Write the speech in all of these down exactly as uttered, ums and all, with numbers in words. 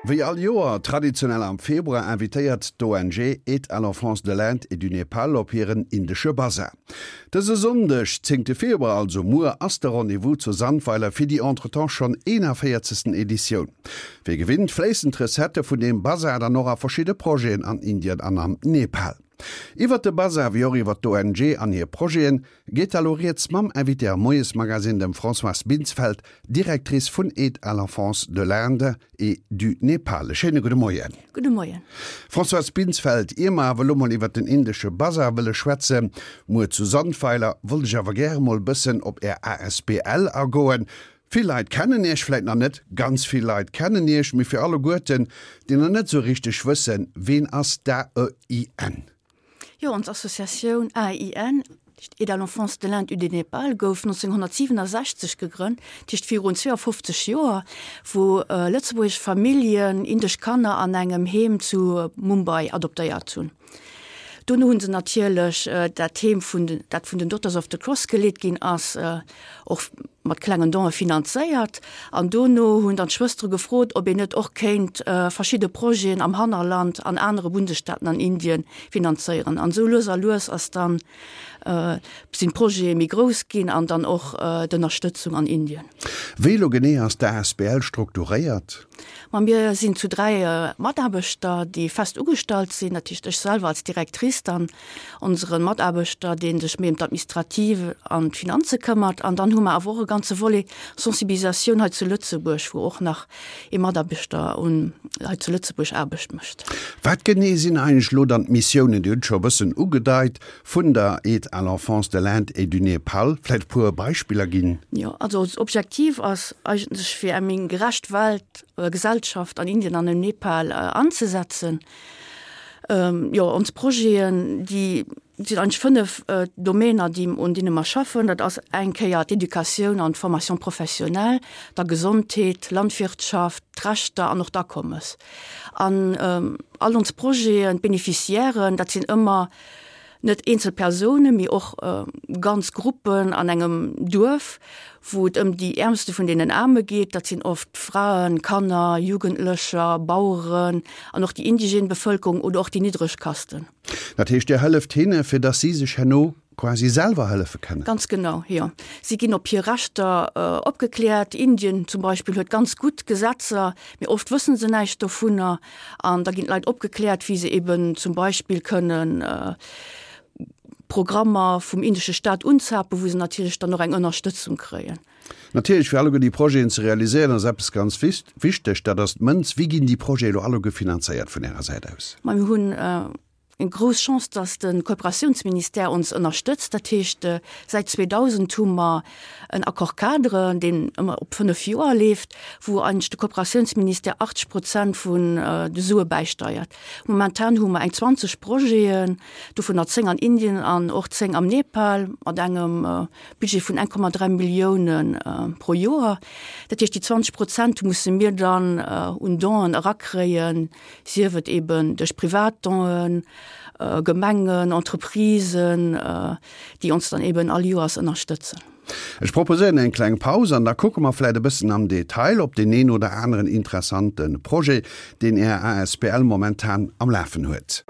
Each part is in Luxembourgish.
Wéi all Joer, traditionell am Februar, invitéiert d'ONG Aide à l'enfance de l'Inde et du Népal op hiren indesche Bazar. Dëse Sonndeg, zéngte Februar, also muer, ass de Rendez-vous zu Sandweiler fir déi entretemps schonn eenavéierzegsten Editioun. Wéi gewinnt fléissen d'Recettë vun deem Bazar dann och a verschidde Projeten an Indien an am Nepal. Iwwert de Bazar wéi och iwwert d'ONG an hir Projeten geet da lo rieds mam Invité am Moiesmagazine, dem Françoise Binsfeld, Directrice vun Aide à l'enfance de l'Inde et du Népal. E schéine gudde Moien. Gudde Moien. Françoise Binsfeld, ier mer awer elo mol iwwert den indesche Bazar wëlle schwätzen, muer zu Sandweiler, wollt ech awer gäre mol bëssen op Är asbl agoen. Vill Leit kennen Iech vläit nach net, ganz vill Leit kennen Iech, mee fir alleguerten, déi nach net esou richteg wëssen, ween ass d'AEIN? Jo, ons Associatioun AEIN, Aide à l'enfance de l'Inde et du Népal, gouf nonzénghonnertsiwenasechzeg gegrënnt, dat heescht virun zweeafofzeg Joer, wou lëtzebuergesch Familljen indesch Kanner an engem Heem zu Mumbai adoptéiert hunn. Dono hu se natierlech dat Heem vun den, dat vun den Daughters of the Cross geleet ginn ass, och mat klengen Donë finanzéiert. An dono hunn dann d'Schwëstere gefrot, ob een net och kéint verschidde Projeten am Hannerland an anere Bundesstaaten an Indien finanzéieren. An esou lues a lues ass dann, sinn d'Projete méi grouss ginn an dann och d'Ënnerstëtzung an Indien. Wéi elo genee ass d'ASBL strukturéiert? Ma mir sinn zu dräi Mataarbechter, déi fest ugestallt sinn, dat heescht ech selwer als Directrice, dann onsere Mataarbechter, dee sech méi ëm d'Administrative an d'Finanze këmmert, an dann hu mer awer och e ganze Volet Sensibilisatioun hei zu Lëtzebuerg, wou och nach ee Mataarbechter un hei zu Lëtzebuerg Aarbecht mécht. Wat genee sinn eigentlech elo dann d'Missiounen, Dir hutt et scho e bëssen ugedeit, vun der Aide à l'enfance de l'Inde et du Népal? Vläicht e puer Beispiller ginn? Jo, also Objektiv ass eigentlech fir eng méi gerecht Welt, Gesellschaft an Indien an am Nepal anzesetzen. Jo, ons Projeten, déi sinn eigentlech fënnef Domäner, déi, un deene mer schaffen. Dat ass eng Kéier d'Educatioun an d'Formation professionnelle, da Gesondheet, Landwirtschaft, d'Rechter an och d'Akommes. An all ons Projeten, d'Beneficiairen, dat sinn ëmmer net eenzel Persounen, mee och ganz Gruppen an engem Duerf, wou et ëm déi Äermste vun deenen Aarme geet. Dat sinn oft Fraen, Kanner, Jugendlecher, Baueren an och déi indigène Bevëlkerung oder och déi niddreg Kasten. Dat heescht, Dir hëlleft hinne, fir datt si sech herno quasi selwer hëllefe kënnen? Ganz genau, jo. Si ginn op hir Rechter opgekläert. Indien zum Beispill huet ganz gutt Gesetzer, mee oft wësse se näischt dovunner. An da ginn d'Leit opgekläert, wéi se eben zum Beispill kënnen Programmer vum indesche Staat unzapen, wou se natierlech dann och eng Ënnerstëtzung kréien. Natierlech, fir alleguer déi Projeten ze realiséieren, ass eppes ganz wichteg, dat ass d'Mënz. Wéi ginn déi Projete elo alleguer finanzéiert vun Ärer Säit aus? Ma mir hunn eng grouss Chance, dass de Kooperatiounsministère ons ënnerstëtzt. Dat heescht, säit zweedausend hu mer en Accord-cadre, deen ëmmer op fënnef Joer leeft, wou eigentlech de Kooperatiounsministère achtzeg Prozent vun de Sue bäisteiert. Momentan hu mer eng zwanzeg Projeten, dovunner zéng an Indien an och zéng am Nepal, mat engem Budget vun eng Komma dräi Millioune pro Joer. Dat heescht, déi zwanzeg Prozent musse mir dann un Donen erakréien, sief et eben duerch privat Donen, Gemengen, Entreprisen, déi ons dann eben all Joers ënnerstëtzen. Ech proposéieren eng kleng Paus an da kucke mer vläit e bëssen am Detail op deen een oder aneren interessante Projet, deen Är asbl momentan am Lafen huet.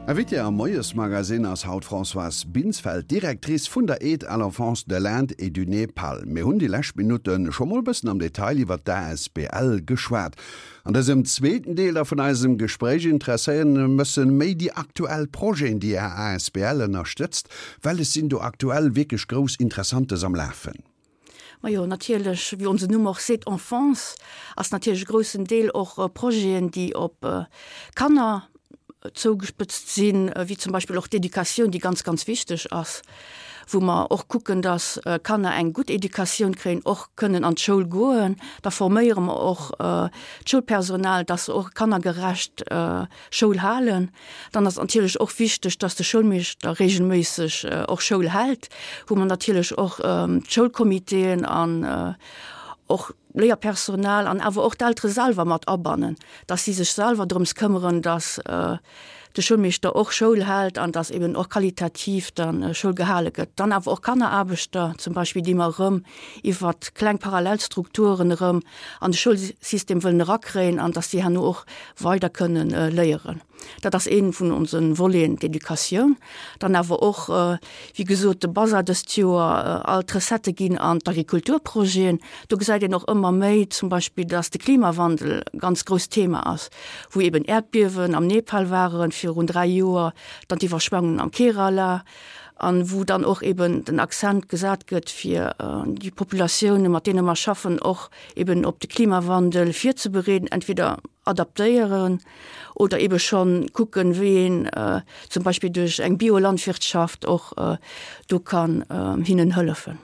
Invitée am Moiesmagazin ass haut d'Françoise Binsfeld, Directrice vun der Aide à l'enfance de l'Inde et du Népal. Mir hunn déi lescht Minutte scho mol bëssen am Detail iwwer d'ASBL geschwat. An dësem zweeten Deel da vun eisem Gespréich interesséieren mech méi déi aktuell Projeten, déi Är ASBL ënnerstëtzt. Well et sinn do aktuell wierklech grouss Interessantes am Lafen. Majo, natierlech, wéi onsen Numm och seet, Enfance, ass natierlech e groussen Deel och Projeten, déi op Kanner zougespëtzt sinn, wéi zum Beispill och d'Educatioun, déi ganz, ganz wichteg ass, wou mer och kucken, dass Kanner eng gutt Educatioun kréien, och kënnen an d'Schoul goen. Da forméiere mer och d'Schoulpersonal, dass se och kannergerecht Schoul halen. Dann ass natierlech och wichteg, dass de Schoulmeeschter regelméisseg och Schoul hält, wou mer natierlech och d'Schoulcomitéen an och Léierpersonal an awer och d'Eltere selwer mat abannen, dass si sech selwer drëms këmmeren, dass de Schoulmeeschter och Schoul hält an dass eben och qualitativ dann Schoul gehale gëtt. Dann awer och Kanneraarbechter zum Beispill, déi mer erëm iwwer kleng Parallelstrukturen erëm an de Schoulsystem wëllen erakréien an dass déi herno och weider kënnen léieren. Dat ass ee vun onse Voleten, d'Educatioun. Dann awer och, wéi gesot, de Bazar dëst Joer, all d'Recettë ginn an d'Agrikulturprojeten. Do gesäit een och ëmmer méi zum Beispill, dass de Klimawandel e ganz grousst Thema ass, wou eben Äerdbiewen am Nepal waren virun dräi Joer, dann d'Iwwerschwemmungen am Kerala, an wou dann och eben den Accent gesat gëtt, fir déi Populatioune mat deene mer schaffen och eben op de Klimawandel virzebereeden, entweder adaptéieren oder ebe schonn kucken, wéi een zum Beispill duerch eng Biolandwirtschaft och do kann hinnen hëllefen.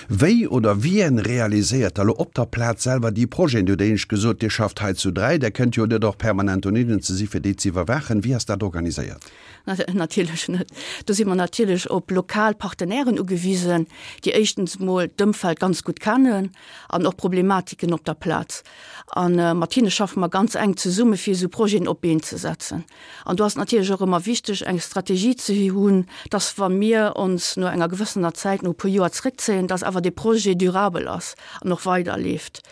Wéi oder wien realiséiert da lo op der Plaz selwer déi Projeten? Dir hutt éinescht gesot, Dir schafft hei zu dräi, Der kënnt jo net och permanent dohinnen ze si fir déi ze iwwerwaachen. Wéi ass dat organiséiert? Natierlech net. Do si mer natierlech op lokal Partenairen ugewisen, déi éischtens emol d'Ëmfeld ganz gutt kennen an och Problematiken op der Plaz. A mat hinne schaffe mer ganz enk zesumme fir esou Projeten op d'Been ze setzen. An do ass et natierlech och ëmmer wichteg, eng Strategie ze hunn, dass wa mir ons no enger gewëssener Zäit, no e puer Joer zréckzéien, dass awer dee Projet durabel ass an och weiderleeft.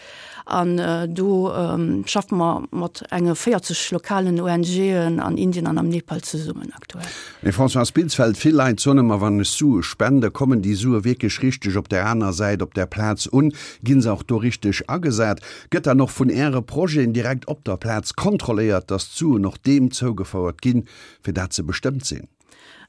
An do schaffe mer mat enge véierzeg lokalen ONGen an Indien an am Nepal zesummen aktuell. Mme Françoise Binsfeld, Vill Leit soen ëmmer, wann ech Sue spende, kommen déi Sue wierklech richteg op där aner Säit, op där Plaz un? Ginn se och do richteg agesat? Gëtt dann och vun Äre Projeten direkt op der Plaz kontrolléiert, dass d'Suen och deem zougefouert ginn, fir dat se bestëmmt sinn?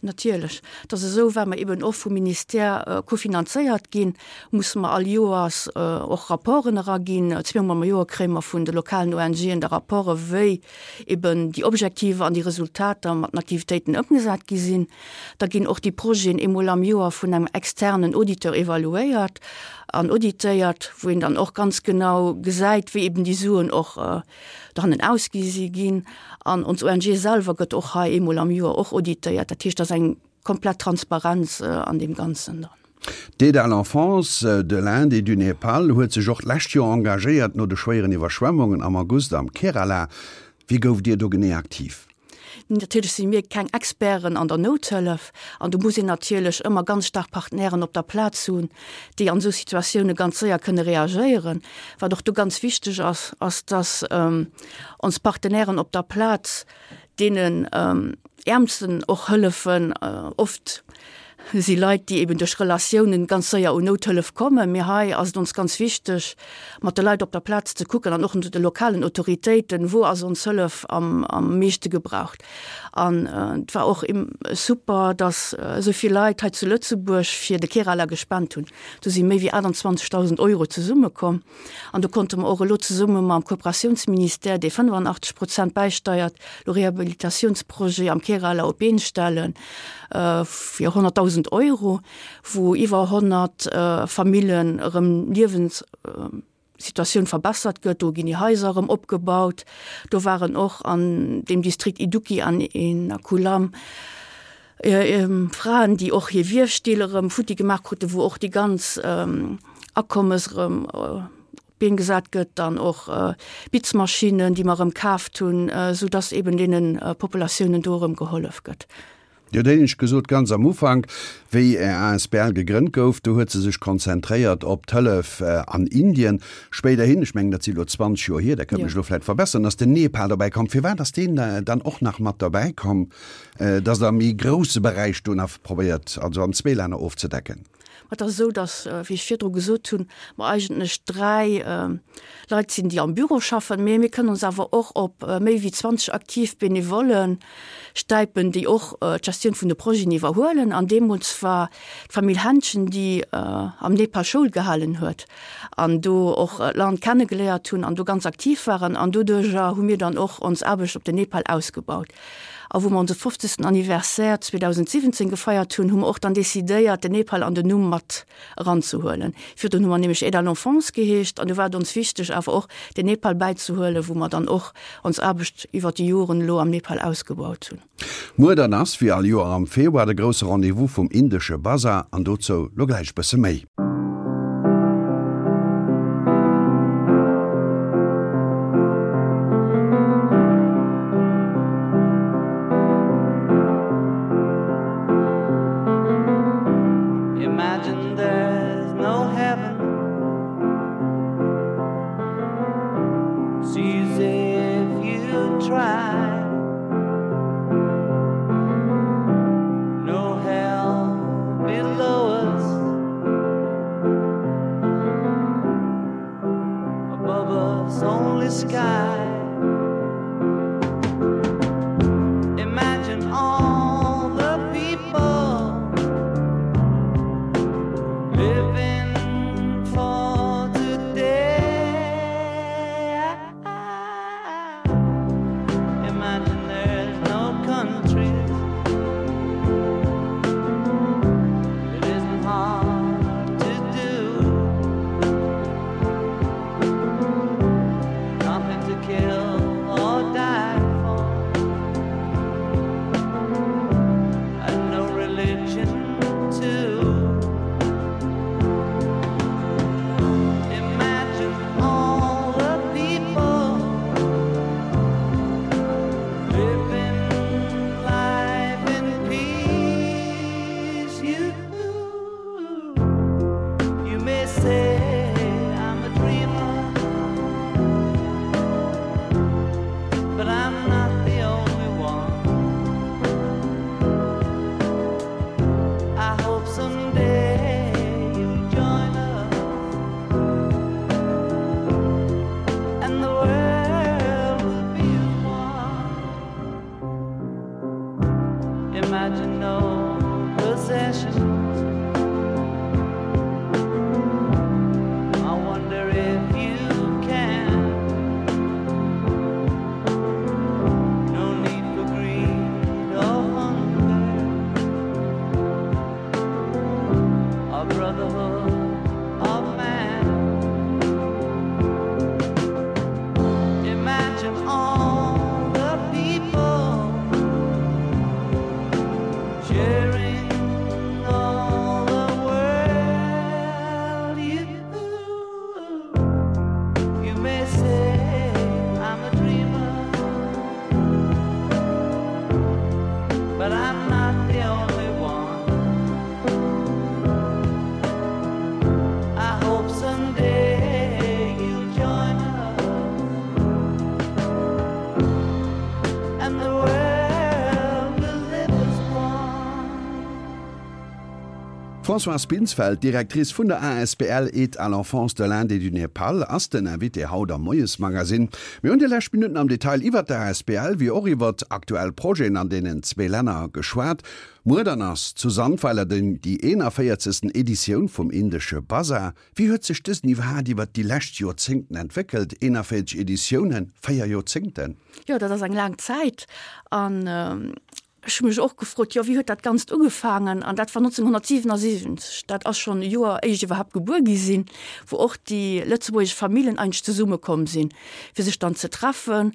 Natierlech. Et ass esou, well mer eben och vum Ministère kofinanzéiert ginn, musse mer all Joers och Rapporten eraginn. Zweemol am Joer kréie mer vun de lokalen ONGen da Rapporte wéi eben déi Objektiver an déi Resultater mat den Aktivitéiten ëmgesat gi sinn. Da ginn och déi Projeten eemol am Joer vun engem externen Auditeur evaluéiert an auditéiert, wou een dann och ganz genau gesäit, wéi eben déi Suen och dohannen ausgi si ginn. An ons ONG selwer gëtt och hei eemol am Joer och auditéiert. Dat heescht, et ass eng komplett Transparenz an deem Ganzen dran. D'Aide à l'enfance de l'Inde et du Népal huet sech och d'lescht Joer engagéiert no de schwéieren Iwwerschwemmungen am August am Kerala. Wéi gouft Dir do genee aktiv? Natierlech si mir keng Experten an der Nouthëllef an do muss een natierlech ëmmer ganz staark Partenairen op der Plaz hunn, déi an esou Situatioune ganz séier kënne reagéieren. Wat och do ganz wichteg ass, ass dass ons Partenairen op der Plaz deenen Äermsten och hëllefen. Oft si Leit, déi eben duerch Relatiounen ganz séier un Nouthëllef kommen. Mee hei ass et ons ganz wichteg, mat de Leit op der Plaz ze kucken an och de lokalen Autoritéiten, wou ass ons Hëllef am am meeschte gebraucht. An et war och super, dass esou vill Leit hei zu Lëtzebuerg fir de Kerala gespent hunn. Do si méi wéi achtundzwanzegdausend Euro zesummekomm. An do konnte mer och elo zesumme mam Kooperatiounsministère, dee fënnefanachteg Prozent bäisteiert, elo Rehabilitatiounsprojet am Kerala op d'Been stellen fir honnertdausend Euro, wou iwwer honnert Famillen erëm Liewenssituatioun verbessert gëtt. Do ginn déi Haiser erëm opgebaut. Do waren och an deem Distrikt Idukki an Ernakulam Fraen, déi och hir Wiefstill erëm futti gemaach kruten, wou och déi ganz Akommes erëm op d'Been gesat gëtt, dann och Bitzmaschinnen, déi mer erëm kaaft hunn, soudass eben deene Populatiounen do erëm gehollef gëtt. Dir hutt éinescht gesot, ganz am Ufank, wéi Är asbl gegrënnt gouf, do huet se sech konzentréiert op d'Hëllef an Indien. Spéiderhin, ech mengen, dat si elo zwanzeg Joer hier, Der kënnt mech elo vläicht verbesseren, ass den Nepal dobäi komm. Firwat ass deen dann och nach mat derbäi komm, dass Der e méi grousse Beräich do nach probéiert, also an zwee Länner ofzedecken? Et ass esou, dass, wéi ech virdru gesot hunn, mer eigentlech dräi Leit sinn, déi am Büro schaffen, mee mir kënnen ons awer och op méi wéi zwanzeg aktiv Benevolle stäipen, déi och d'Gestioun vun de Projeten iwwerhuelen. An deemools war d'Famill Hänschen, déi am Nepal Schoul gehalen huet an do och d'Land kennegeléiert hunn an do ganz aktiv waren. An doduerjer hu mir dann och ons Aarbecht op den Nepal ausgebaut. A wou mer onse fofzegsten Anniversaire zweedausendsiwwenzéng gefeiert hunn, hu mer och dann decidéiert, den Nepal an den Numm mat eranzehuelen. Virdrun hu mer nämlech Aide à l'enfance geheescht an du war et ons wichteg, awer och den Nepal bäizehuelen, wou mer dann och ons Aarbecht iwwert déi Joren elo am Nepal ausgebaut hunn. Muer dann ass, wéi all Joer am Februar, de grousse Rendez-vous vum indesche Bazar an dozou lo gläich bësse méi. Imagine there's no heaven It's easy if you try No hell below us Above us only sky Imagine all the people Living for today Imagine there's no countries It isn't hard to do Nothing to kill or die for And no religion too Imagine all the people Living life in peace You, you may say I'm a dreamer But I'm not the only one I hope someday you'll join us And the world will be as one Imagine no possessions I wonder if you can No need for greed or hunger A brotherhood of man Imagine all the people Sharing all the world You, you may say I'm a dreamer But I'm not the only one I hope someday you'll join us And the world will live as one D'Françoise Binsfeld, Directrice vun der asbl Aide à l'enfance de l'Inde et du Népal, ass den Invité haut am Moiesmagazin. Mir hunn déi lescht Minutten am Detail iwwert d'asbl wéi och iwwert aktuell Projeten an deenen zwee Länner geschwat. Muer dann ass zu Sandweiler den déi eenavéierzegsten Editioun vum indesche Bazar. Wéi huet sech dësen iwwerhaat iwwert déi lescht Joerzéngten entwéckelt? Eenavéierzeg Editiounen, véier Joerzéngten? Jo, dat ass eng laang Zäit. An ech hu mech och gefrot, jo, wéi huet dat Ganzt ugefaangen? An dat war nonzénghonnertsiwenasiwwenzeg, dat ass schonn e Joer éier ech iwwerhaapt gebuer gi sinn, wou och déi lëtzebuergesch Famillen eigentlech zesummekomm sinn, fir sech dann ze treffen.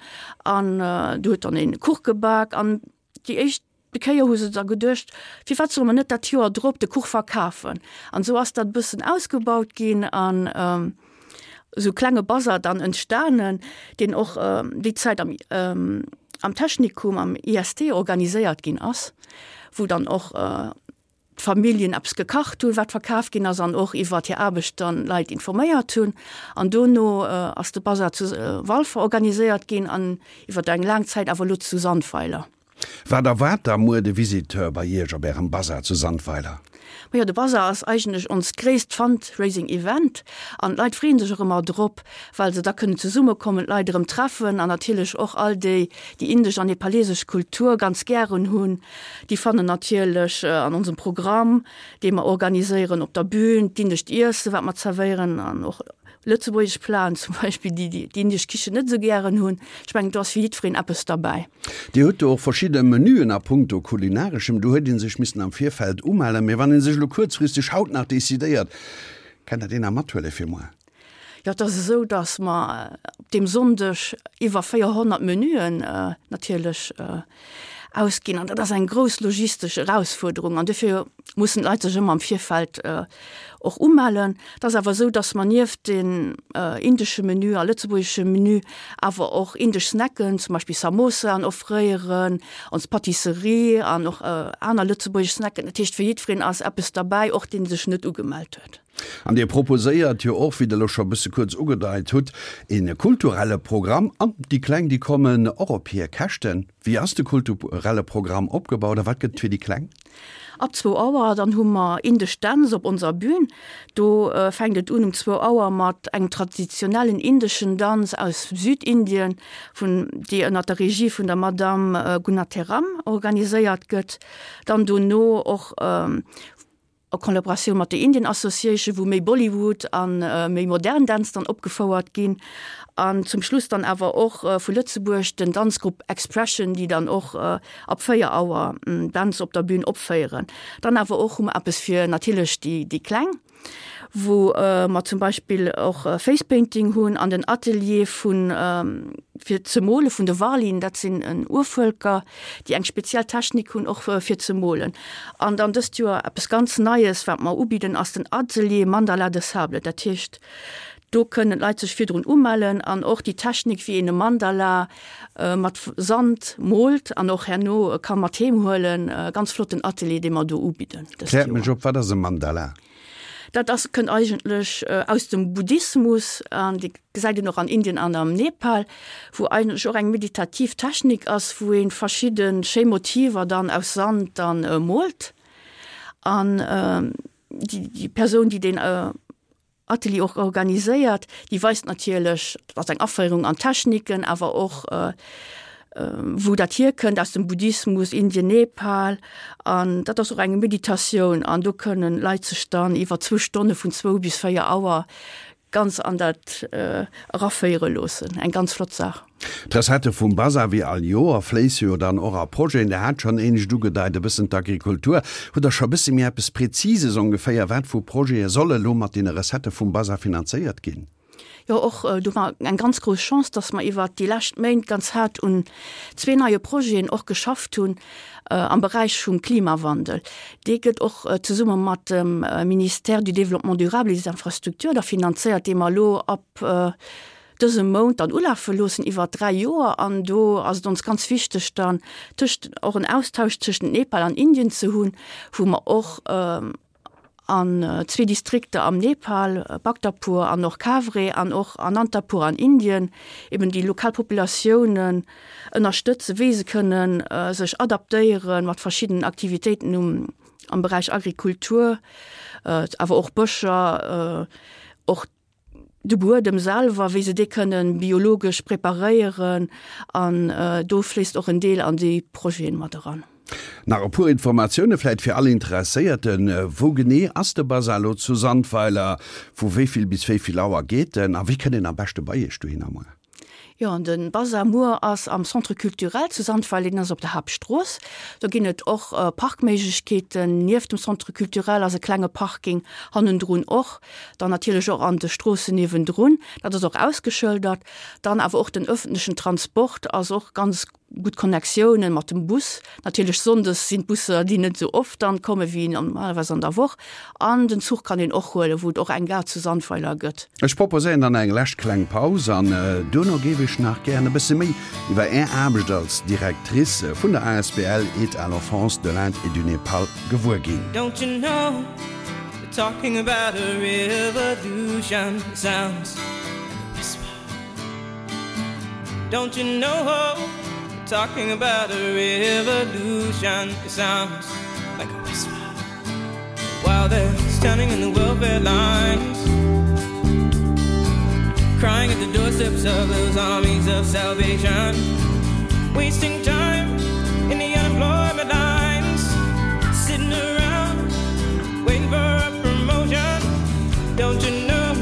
An do huet dann een Kuch gebak an déi éischt Kéier hu se da geduecht, firwat solle mer net dat Joer drop de Kuch verkafen? An esou ass dat e bëssen ausgebaut ginn an esou klenge Bazar dann entstanen, deen och déi Zäit am am Technikum, am I S T organiséiert ginn ass, wou dann och d'Familljen eppes gekacht hunn, wat verkaf ginn ass an och iwwert hir Aarbecht dann Leit informéiert hunn. An dono ass de Bazar zu Walfer organiséiert ginn an iwwert eng laang Zäit awer elo zu Sandweiler. Wat erwaart da muer de Visiteur bei Iech op Ärem Bazar zu Sandweiler? Majo, de Bazar ass eigentlech onst gréisst Fundraising Event an d'Leit freeën sech och ëmmer drop, well se da kënnen zesummekommen, d'Leit erëm treffen an natierlech och all déi, déi indesch an nepalesesch Kultur ganz gären hunn, déi fannen natierlech an onsem Programm, dee mer organiséieren, op der Bühn, d'indescht Iessen, wat mer zerwéieren an och lëtzebuergesch Platen zum Beispill, déi déi d'indesch Kichen net esou gären hunn. Ech mengen, do ass fir jiddwereen eppes derbäi. Dir hutt do och verschidde Menüen a punkto Kulinareschem. Do huet ee sech missen am Virfeld umellen. Mee wann ee sech elo kuerzfristeg haut nach decidéiert, kennt Der deen nach mathuele fir muer? Jo, et ass esou, datt mer op deem Sonndeg iwwer véierhonnert Menüen natierlech ausginn. An dat ass eng grouss logistesch Erausfuerderung. An dofir mussen d'Leit sech ëmmer am Virfeld och umellen. Et ass awer esou, datt mer nieft den indesche Menü a lëtzebuergesche Menü awer och indesch Snacken, zum Beispill Samosaen offréieren, ons Pâtisserie an och aner lëtzebuergesch Snacken. Dat heescht, fir jiddwereen ass eppes derbäi, och deen sech net ugemellt huet. An Dir proposéiert jo och, wéi Der elo scho e bësse kuerz ugedeit hutt, e kulturelle Programm. An déi Kleng, déi kommen och op hir Käschten. Wéi ass de kulturelle Programm opgebaut a wat gëtt et fir déi Kleng? Ab zwou Auer dann hu mer indesch Dänz op onser Bühn. Do fänkt et un um zwou Auer mat engem traditionellen indeschen Danz aus Südindien, vun, déi ënnert der Regie vun der Madame Gunateram organiséiert gëtt. Dann dono och a Collaboratioun mat der Indian Association, wou méi Bollywood a méi modern Dänz dann opgefouert ginn. An zum Schluss dann awer och vu Lëtzebuerg den Danzgrupp Expression, déi dann och ab véier Auer Dänz op der Bühn opféieren. Dann awer och hu mer eppes fir natierlech déi déi Kleng, wou mer zum Beispill och Face Painting hunn an den Atelier vun fir ze mole vun de Warlin, dat sinn en Urvëlker, déi eng speziell Technik hunn och fir ze molen. An dann dëst Joer eppes ganz Neies, wat mer ubidden, ass den Atelier Mandala de Sable. Dat heescht, do kënnen d'Leit sech virdrun umellen an och déi Technik, wéi een e Mandala mat Sand moolt an och herno ka mat heem huelen. Ganz flotten Atelier, dee mer do ubidden dëst Kläert mech Joer. op, wat ass e Mandala? Dat ass, kënnt eigentlech aus dem Buddhismus an déi gesäit een och an Indien an am Nepal, wou eigentlech och eng meditativ Technik ass, wou ee verschidde schéi Motiver dann aus Sand dann moolt. An déi, déi Persoun, déi deen Atelier och organiséiert, déi weist natierlech, dat ass eng Aféierung an d'Techniken, awer och wou dat hierkënnt, aus dem Buddhismus, Indien, Nepal. An dat ass och eng Meditatioun an do kënnen Leit sech dann iwwer zwou Stonne vun zwou bis véier Auer ganz an dat eraféiere loossen. Eng ganz flott Saach. D'Recettë vum Bazar, wéi all Joer, fléisse jo dann och a Projeten. Der hat schonn éinescht ugedeit, e bëssen d'Agrikultur. Hutt Der scho e bësse méi eppes Präzises ongeféier, wat vu Projete solle lo mat deene Recettë vum Bazar finanzéiert ginn? Jo, och do hu mer eng ganz grouss Chance, dass mer iwwert déi lescht Méint ganz haart un zwee neie Projeten och geschafft hunn am Beräich vum Klimawandel. Dee gëtt och zesumme mat dem Ministère du Développement durable et des Infrastructures da finanzéiert, dee mer elo ab dësem Mount dann ulafe loossen iwwer dräi Joer. An do ass et ons ganz wichteg dann tëscht och en Austausch tëschent Nepal an Indien ze hunn, wou mer och an zwee Distrikter am Nepal, Bhaktapur an och Kavre an och Anantapur an Indien, eben déi lokal Populatiounen ënnerstëtzen, wéi se kënnen sech adaptéieren mat verschiddenen Aktivitéiten um am Beräich Agrikultur, awer och Bëscher, och de Buedem selwer, wéi se dee kënnen biologesch preparéieren an do fléisst och en Deel an déi Projeten mat eran. Nach e puer Informatioune vläit fir all Interesséierten, Wou genee ass de Bazar elo zu Sandweiler? Vu wéi vill bis wéi vill Auer geet en a wéi kënnt een am beschte bei Iech dohinner muer? Jo, de Bazar muer ass am Centre culturel zu Sandweiler, deen ass op der Haaptstrooss. Do ginn et och Parkméiglechkeeten. Nieft dem Centre culturel ass e klenge Parking hannendrun och. Dann natierlech och an de Stroossen niewendrun. Dat ass och ausgeschëldert. Dann awer och den ëffentlechen Transport ass och ganz gutt Connectiounen mat dem Bus. Natierlech sonndes sinn d'Busser déi net esou oft dann komme wéi normalerweis an der Woch. An den Zuch kann een och huelen, wou et och eng Gare zu Sandweiler gëtt. Ech proposéieren dann eng lescht kleng Paus an duerno géif ech nach gären e bësse méi iwwer Är Aarbecht als Directrice vun der asbl Aide à l'enfance de l'Inde et du Népal gewuer ginn. Don't you know they're talking about a revolution it sounds like a whisper Don't you know they're talking about a revolution it sounds like a whisper While they're standing in the welfare lines Crying at the doorsteps of those armies of salvation Wasting time in the unemployment lines Sitting around waiting for a promotion Don't you know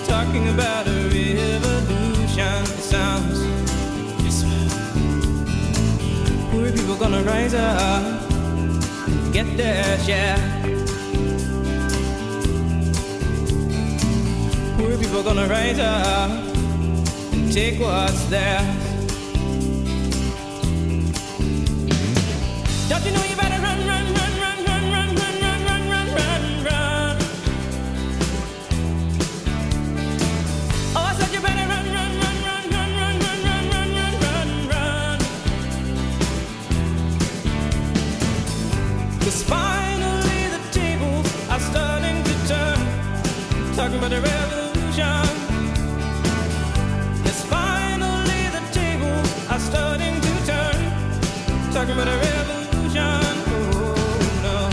talking about a revolution it sounds like a whisper Poor people gonna rise up and get their share Poor people gonna rise up and take what's theirs Don't you know you better run, run, run, run, run, run, run, run, run, run, run, run Oh, I said you better run, run, run, run, run, run, run, run, run, run, run, run Cause finally the tables are starting to turn Talking about a revolution Yes, finally the tables are starting to turn Talking about a revolution, oh no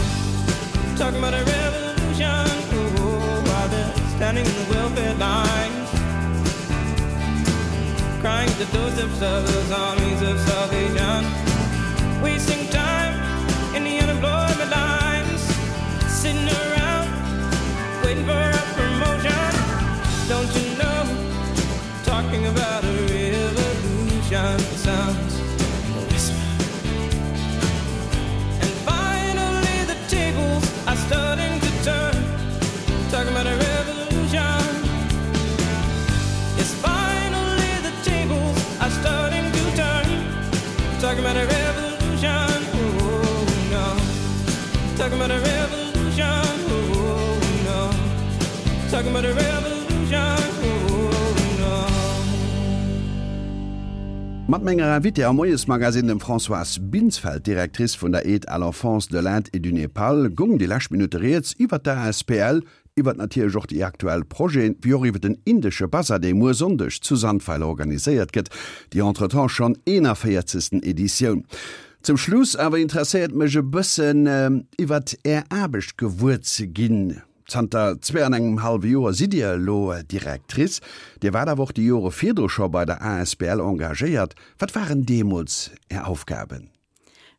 Talking about a revolution, oh While they're standing in the welfare lines Crying at the doorsteps of those armies of salvation Wasting time in the unemployment lines Sitting around waiting for a promotion Don't you know talking about a revolution it sounds like a whisper And finally the tables are starting to turn Talking about a revolution Yes, finally the tables are starting to turn Talking about a revolution, oh no Talking about a revolution, oh no Talking about a revolution, oh no Mat menger Invitée am Moiesmagazin, dem Françoise Binsfeld, Directrice vun der Aide à l'enfance de l'Inde et du Népal, goung déi lescht Minutte rieds iwwer d'ASBL, iwwer natierlech och déi aktuell Projeten, wéi och iwwer den indesche Basar, dee muer Sonndeg zu Sandweiler organiséiert gëtt, déi entretemps schonn eenanvéierzegsten Editioun. Zum Schluss awer interesséiert mech e bëssen iwwer Är Aarbecht gewuer ze ginn. Zanter zwee an engem hallwe Joer sidd Dir elo Directrice. Dir waart awer och déi Jore virdru scho bei der asbl engagéiert. Wat waren deemools Är Aufgaben?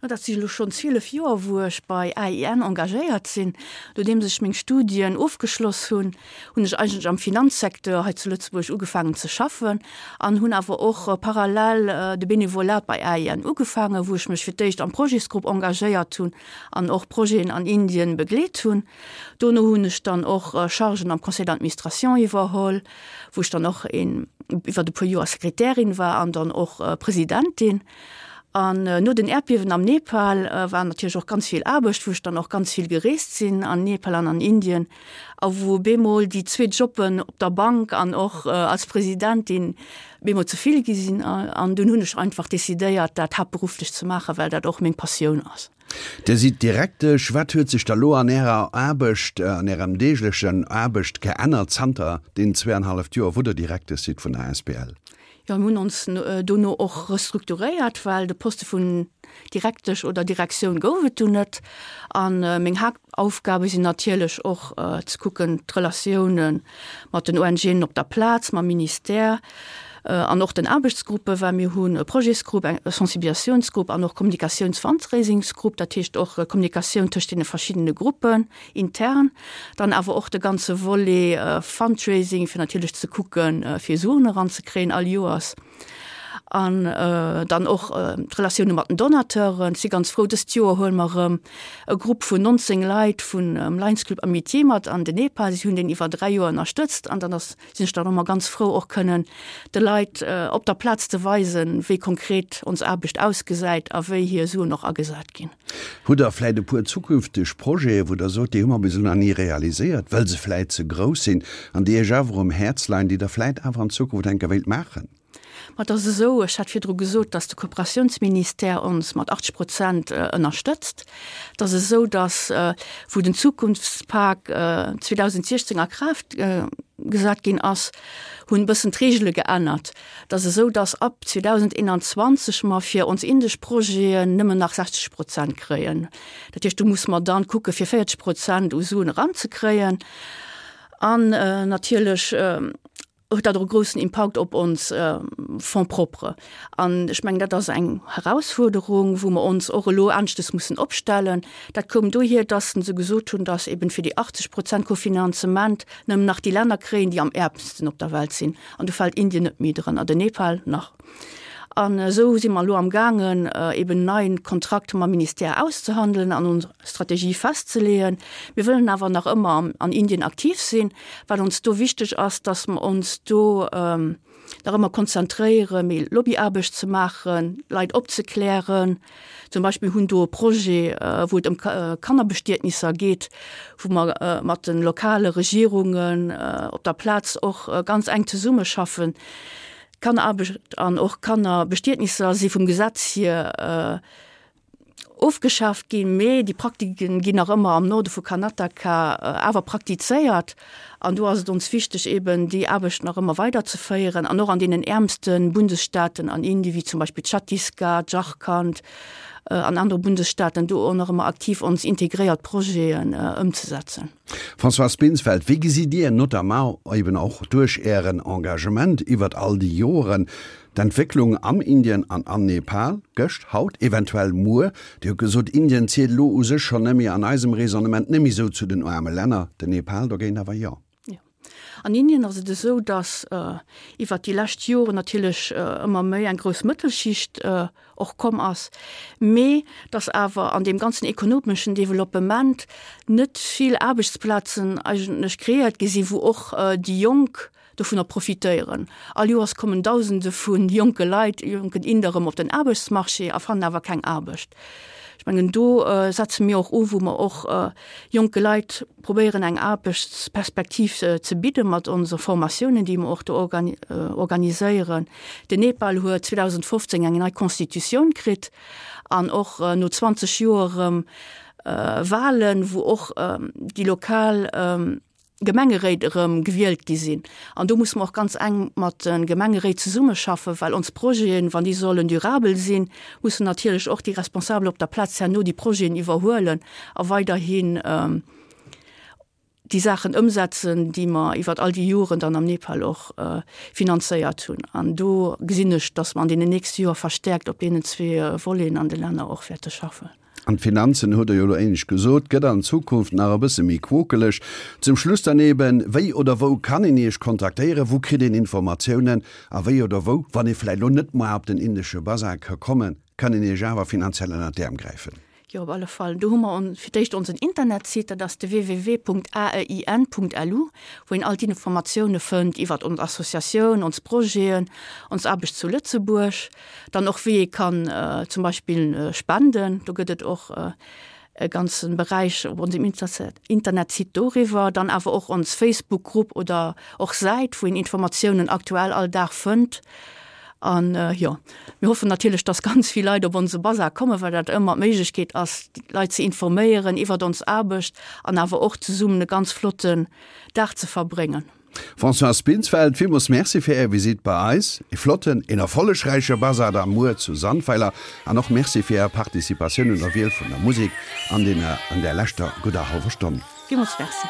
Jo, dat si elo schonn zwielef Joer, wou ech bei AIN engagéiert sinn. Nodeems ech meng Studien ofgeschloss hunn, hunn ech eigentlech am Finanzsecteur hei zu Lëtzebuerg ugefaangen ze schaffen an hunn awer och parallel de Benevolat bei AIN ugefaangen, wou ech mech fir d'éischt am Projetsgrupp engagéiert hunn an och Projeten an Indien begleet hunn. Dono hunn ech dann och Chargen am Conseil d'administration iwwerholl, wou ech dann och een iwwer e puer Joer Sekretärin war an dann och Presidentin. An no den Äerdbiewen am Nepal war natierlech och ganz vill Aarbecht, wou ech dann och ganz vill gereest sinn an Nepal an an Indien a wou bemol déi zwee Jobben op der Bank an och als Presidentin bemol ze vill gi sinn. An dunn hunn ech einfach decidéiert, dat haaptberufflech ze maachen, well dat och meng Passioun ass. Dir sidd Direktesch. Wat huet sech da lo an Ärer Aarbecht, an Ärem deeglechen Aarbecht geännert zanter deenen zwee an halleft Joer, wou Der Direktesch sidd vun der asbl? Jo, mir hunn ons dono och restrukturéiert, well de Poste vun Direktesch oder Direktioun gouf et dunn net. A meng Haaptaufgabe sinn natierlech och ze kucken, d'Relatioune mat den ONGen op der Plaz, mam Ministère an och den Aarbechtsgruppen, well mir hunn e Projetsgrupp, eng Sensibilisatiounsgrupp an och Kommunikatiouns-Fundraisingsgrupp, dat heescht och Kommunikatioun tëscht deene verschiddene Gruppen intern. Dann awer och de ganze Volet Fundraising, fir natierlech ze kucken, fir Suen eranzekréien all Joers. An dann och d'Relatioune mat den Donateuren. Si ganz frou, dëst Joer huele mer erëm e Grupp vun nonzéng Leit vun Lions Club Amitié mat an den Nepal. Si hunn deen iwwer dräi Joer ënnerstëtzt an dann ass, sinn ech dann och ëmmer ganz frou och kënnen de Leit op der Plaz ze weisen, wéi konkret ons Aarbecht ausgesäit a wéi hir Suen och agesat ginn. Hutt Der vläit e puer zukünfteg Projete wou Der sot, déi hu mer bis elo nach ni realiséiert, wëll se vläit ze grouss sinn an déi Iech awer um Häerz leien, déi Der vläit awer an Zukunft enker wéilt maachen? Ma et ass esou, ech hat virdru gesot, datt de Kooperatiounsministère ons mat achtzeg Prozent ënnerstëtzt. Et ass esou, datt, wou den Zukunftspak zweedausentsiechzéng a Kraaft gesat ginn ass, hunn e bëssen d'Reegele geännert. Et ass esou, datt ab zweedausendeenanzwanzeg mer fir ons indesch Projeten nëmmen nach sechzeg Prozent kréien. Dat heescht, do musse mer dann kucke fir véierzeg Prozent u Suen eranzekréien. An natierlech huet dat och e groussen Impakt op ons Fonds propres. An ech mengen, dat ass eng Herausfuerderung, wou mer ons och elo aneschtes mussen opstellen. Dat koum dohier, dass se gesot hunn, dass eben fir déi achtzeg Prozent Kofinanzement nëmmen nach déi Länner kréien, déi am äermsten op der Welt sinn. An do fält Indien net méi drënner, den Nepal nach. An esou si mer elo amgaangen, eben en neien Kontrakt mam Ministère auszehandelen an ons Strategie festzeleeën. Mir wëllen awer nach ëmmer an Indien aktiv sinn. Wat ons do wichteg ass, dass mer ons do nach ëmmer konzentréieren, méi Lobbyaarbecht ze maachen, Leit opzeklären. Zum Beispill hunn do e Projet, wou et ëm Kannerbestietnisser geet, wou mer mat de lokale Regierungen op der Plaz och ganz enk zesummeschaffen. Kanneraarbecht an och Kannerbestietnisser si vum Gesetz hier ofgeschaaft ginn, mee déi Praktiken ginn nach ëmmer am Norde vu Karnataka awer praktizéiert. An do ass et ons wichteg, eben déi Aarbecht nach ëmmer weiderzeféieren an och an deenen äermste Bundesstaaten an Indien, wéi zum Beispill Chhattisgarh, Jharkhand an anere Bundesstaaten, do och nach ëmmer aktiv ons integréiert Projeten ëmzesetzen. Françoise Binsfeld, Wéi gesitt Dir, notamment eben och duerch Ären Engagement iwwert all déi Joren, d'Entwécklung am Indien an am Nepal, gëscht, haut, eventuell muer? Dir hutt gesot, Indien zielt elo u sech schonn net méi an eisem Raisonnement net méi esou zu den aarme Länner, den Nepal dogéint awer jo. Jo. An Indien ass et esou, datt iwwert déi lescht Joren natierlech ëmmer méi eng grouss Mëttelschicht och komm ass, mee datt awer an deem ganzen ekonomeschen Developpement net vill Aarbechtsplazen eigentlech kreéiert gi sinn, wou och déi Jonk dovunner profitéieren. All Joers kommen Dausende vu jonke Leit, jonken Inder erëm op den Aarbechtsmarché a fannen awer keng Aarbecht. Ech mengen, do setze mir och u, wou mer och jonke Leit probéieren, eng Aarbechtsperspektiv ze bidde mat onse Formatiounen, déi mer och do organiséieren. Den Nepal huet zweedausendfofzéng eng nei Constitutioun kritt an och no zwanzeg Joer erëm Wahlen, wou och déi lokal Gemengeréit erëm gewielt gi sinn. An do musse mer och ganz enk mat de Gemengeréit zesummeschaffen, well ons Projeten, wann déi sollen durabel sinn, mussen natierlech och déi Responsabel op der Plaz herno déi Projeten iwwerhuelen a weiderhin déi Saachen ëmsetzen, déi mer iwwert all déi Joren dann am Nepal och finanzéiert hunn. An do gesinn ech, dass mer an deenen nächste Joer verstärkt op deenen zwee Voleten an de Länner och wäerte schaffen. An d'Finanzen, hutt Der jo elo éinescht gesot, gëtt an Zukunft nach e bësse méi quokeleg. Zum Schluss dann eben, Wéi oder wou kann een Iech kontaktéieren? Wou kritt een Informatiounen? A wéi oder wou, wann ee vläicht elo net muer op den indesche Basar ka kommen, kann een Iech awer finanziell ënnert d'Äerm gräifen? Jo, op alle Fall. Do hu mer fir d'éischt onsen Internetsite, dat ass de www.aein.lu, wou een all d'Informatioune fënnt iwwert ons Associatioun, ons Projeten, ons Aarbecht zu Lëtzebuerg. Dann och wéi ee kann zum Beispill spenden. Do gëtt et och e ganze Beräich op onsem Internetsite doriwwer. Dann awer och ons Facebook-Grupp oder och Säit, wou een Informatiounen aktuell all Dag fënnt. An jo, mir hoffen natierlech, dass ganz vill Leit op onse Bazar kommen, well dat ëmmer d'Méiglechkeet ass, d'Leit ze informéieren iwwert ons Aarbecht an awer och zesummen e ganz flotten Dag ze verbréngen. Françoise Binsfeld, villmools Merci fir Är Visitt bei eis. E flotten, een erfollegräiche Bazar da muer zu Sandweiler an och Merci fir Är Participatioun un der Wiel vun der Musek an deene an där leschter gudder hallwer Stonn. Villmools Merci.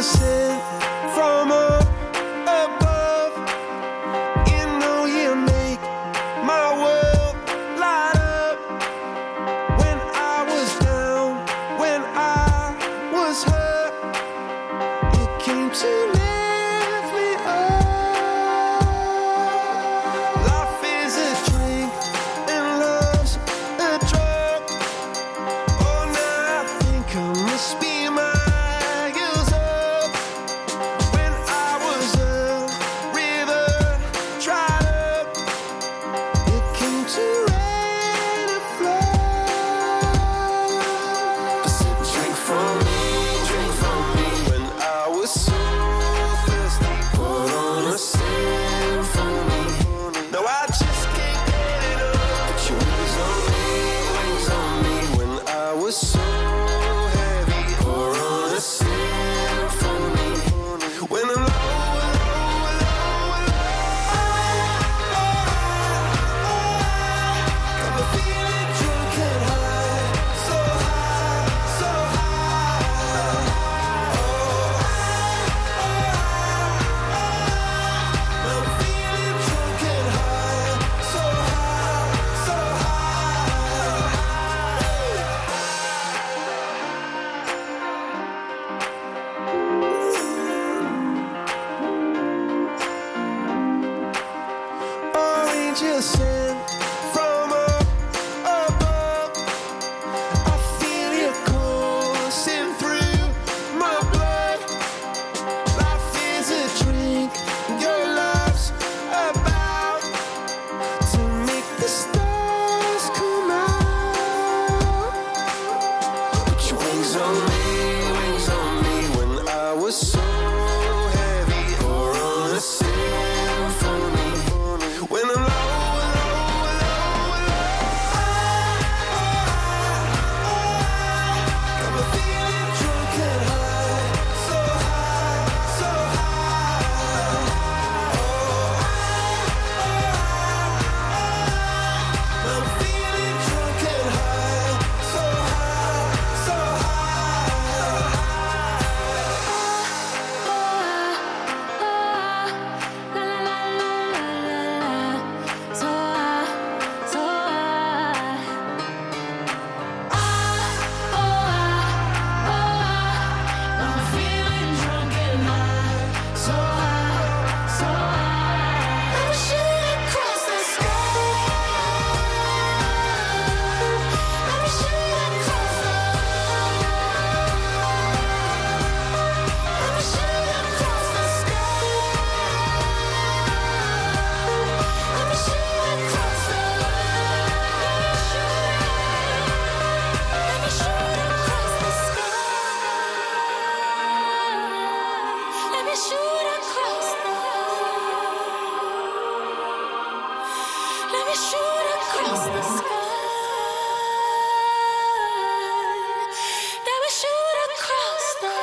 Angel sent from up above. You know you make my world light up. When I was down, when I was hurt, you came to lift me up. Life is a drink and love's a drug. Oh, now I think I must be miles up. When I was a river dried up, you came to rain a flood. I said, drink from me, drink from me. When I was so thirsty, put on a symphony. No, I just can't get enough. Put your wings on me, wings on me. When I was so heavy, pour on a symphony. When I'm low, low, low, low, got me feeling drunk and high, so high, so high. I'm feeling drunk and high, so high, so high. Oh, angel sent from up above. I feel you coursing through my blood. Life is a drink, your love's about to make the stars come out. Put your wings on me, wings on me. When I was so heavy, pour on a symphony. When I'm low, low, low, low, got me feeling drunk and high, so high, so high. I'm feeling drunk and high, so high, so high. La la la la la la, so high, so high. Ah, oh ah, oh ah, I'm feeling drunk and high, so high, so high. Let me shoot across the sky. Let me shoot across the. Let me shoot across the sky. Let me shoot across the. Let me shoot across the sky. Let me shoot across the. Let me shoot across the sky. Let me shoot across the.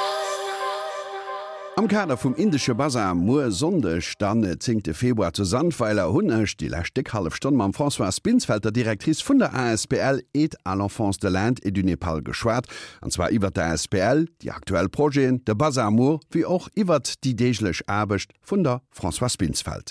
Am Kader vum indesche Basar muer Sonndeg dann zéngte Februar zu Sandweiler hunn ech déi lescht déck hallef Stonn mam Françoise Binsfeld, der Directrice vun der A S B L Aide à l'enfance de l'Inde et du Nepal geschwat, an zwar iwwer d'A S B L, déi aktuell Projeten, de Basar muer, wéi och iwwer déi deeglech Aarbecht vun der Françoise Binsfeld.